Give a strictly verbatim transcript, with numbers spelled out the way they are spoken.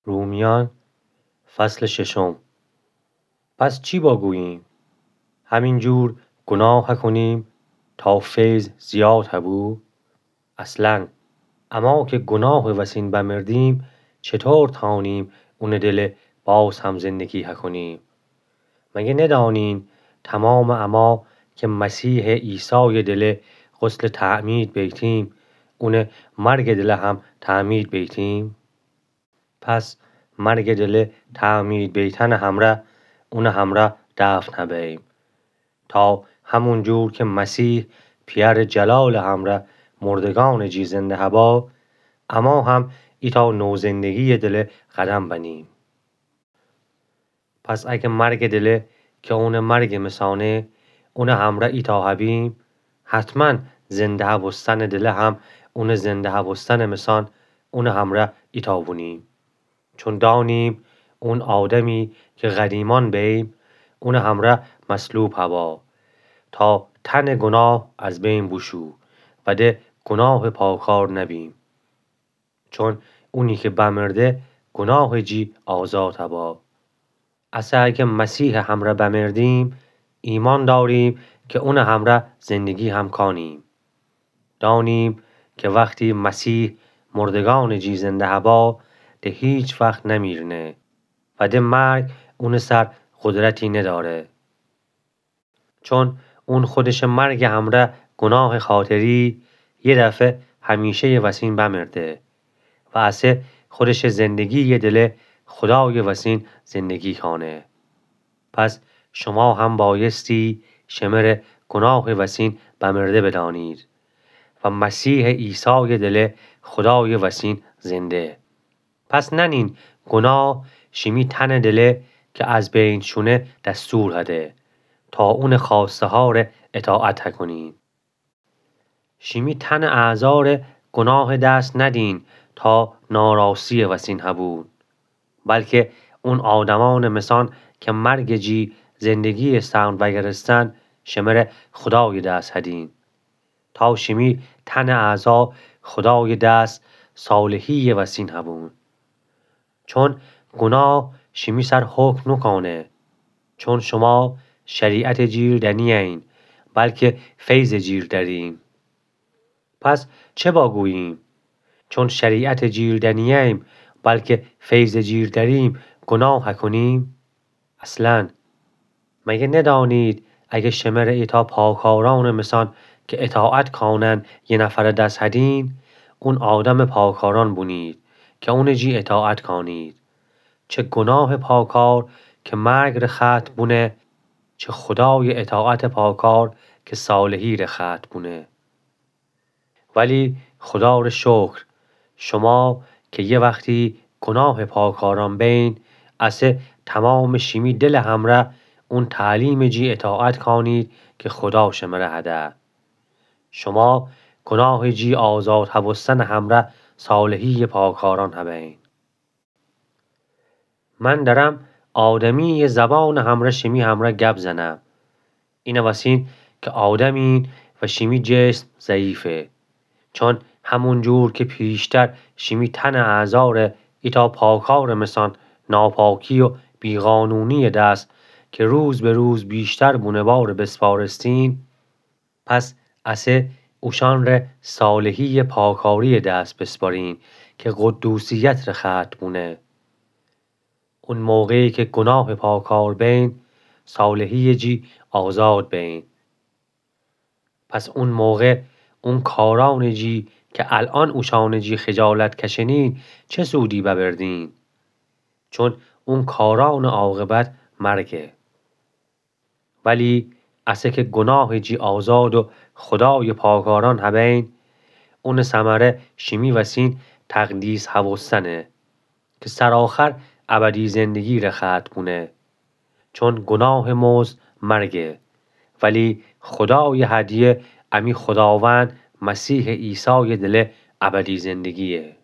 رومیان، فصل ششم. پس چی باگوییم؟ همین جور گناه هکنیم تا فیض زیاد هبو؟ اصلاً، اما که گناه وسین بمردیم، چطور تانیم اونٚ دله باز هم زندگی هکنیم؟ مگه ندانین تمامٚ اما که مسیحٚ عیسایٚ دله غسلٚ تعمید بیتیم، اونٚ مرگٚ دله هم تعمید بیتیم؟ پس مرگٚ دله تعمید بیتنٚ همرأ اونٚ همرأ دفن هبیم، تا همون جور که مسیح پیأرٚ جلالٚ همرأ مردگانٚ جی زنده هبا، اما هم ایتأ نوزندگییٚ دله قدم بنیم. پس اگه مرگٚ دله که اونٚ مرگٚ مسانه، اونٚ همرأ ایتأ هبیم، حتماً زنده هبوستنٚ دله هم اونٚ زنده هبوستنٚ مسان اونٚ همرأ ایتأ بونیم. چون دانیم اون آدمی که قدیمأن بیم، اونٚ همرأ مصلوب هبا، تا تنٚ گناه از بین بوشو و ده گناهٚ پاکار نبیم. چون اونی که بمرده، گناهٚ جی آزاد هبا. اسه اگه مسیحٚ همرأ بمردیم، ایمأن داریم که اونٚ همرأ زندگی هم کانیم. دانیم که وختی مسیح مردگانٚ جی زنده هبا، ده هیچ وخت نمیرنه و ده مرگ اونٚ سر قدرتی نداره. چون اون خودشٚ مرگٚ همرأ گناهٚ خاطری یه دفعه همیشه‌یٚ وسین بمرده و اسه خودشٚ زندگییٚ دله خودایٚ وسین زندگی کانه. پس شما هم بایستی شمره گناهٚ وسین بمرده بدانید و مسیحٚ عیسایٚ دله خودایٚ وسین زنده. پس ننین گناه شیمی تنٚ دله که از بین شونه دستور هده، تا اونٚ خواسته‌هاره اطاعت هکنین. شیمی تنٚ اعضاره گناه دست ندین تا ناراستییٚ وسین هبون، بلکه اون آدمأنٚ مسان که مرگٚ جی زندگییٚ سهم وأگرستن، شمره خودایٚ دس هدین. تا شیمی تنٚ اعضا خودایٚ دس صالحییٚ وسین هبون. چون گناه شیمی سر حکم نوکانه. چون شما شریعتٚ جیر دنیین، بلکه فیضٚ جیر درین. پس چه باگوییم؟ چون شریعتٚ جیر دنییم، بلکه فیضٚ جیر دریم، گناه هکنیم؟ اصلاً، مگه ندانید اگه شمره ایتأ پاکارأنٚ مسان که اطاعت کانن یه نفرٚ دس هدین، اون آدمٚ پاکارأن بونید که اونٚ جی اطاعت کانید؟ چه گناهٚ پاکار که مرگ ره ختم بونه، چه خودایٚ اطاعتٚ پاکار که صالحی ره ختم بونه. ولی خدا ره شکر، شما که یه وختی گناهٚ پاکارأن بین، اسه تمامٚ شیمی دلٚ همرأ اون تعلیمٚ جی اطاعت کانید که خدا شمره هده. شما گناهٚ جی آزاد هبوستنٚ همرأ صالحییٚ پاکارأن هبین. من درم آدمییٚ زبانٚ همرأ شیمی همرأ گب زنم. اینٚ وسین که آدمین و شیمی جسم ضعیفه. چون همون جور که پیشتر شیمی تنٚ اعضا ره ایتأ پاکارٚ مسان ناپاکی و بیقانونییٚ دس که روز به روز بیشتر بونه باره بسپارستین، پس اسه اوشأن ره صالحییٚ پاکارییٚ دس بسپارین که قدوسیت ره ختم بونه. اون موقعی که گناهٚ پاکار بین، صالحییٚ جی آزاد بین. پس اون موقع اون کارأنٚ جی که الأن اوشأنٚ جی خجالت کشنین، چه سودی ببردین؟ چون اون کارأنٚ عاقبت مرگه. ولی اسه که گناهٚ جی آزاد و خدایٚ پاکارأن هبین، اونٚ ثمره شیمی وسین تقدیس هوستنه که سرآخر ابدی زندگی ره ختم بونه. چون گناهٚ مزد مرگه، ولی خدایٚ هدیه امی خداوند مسیحٚ عیسایٚ دله ابدی زندگییه.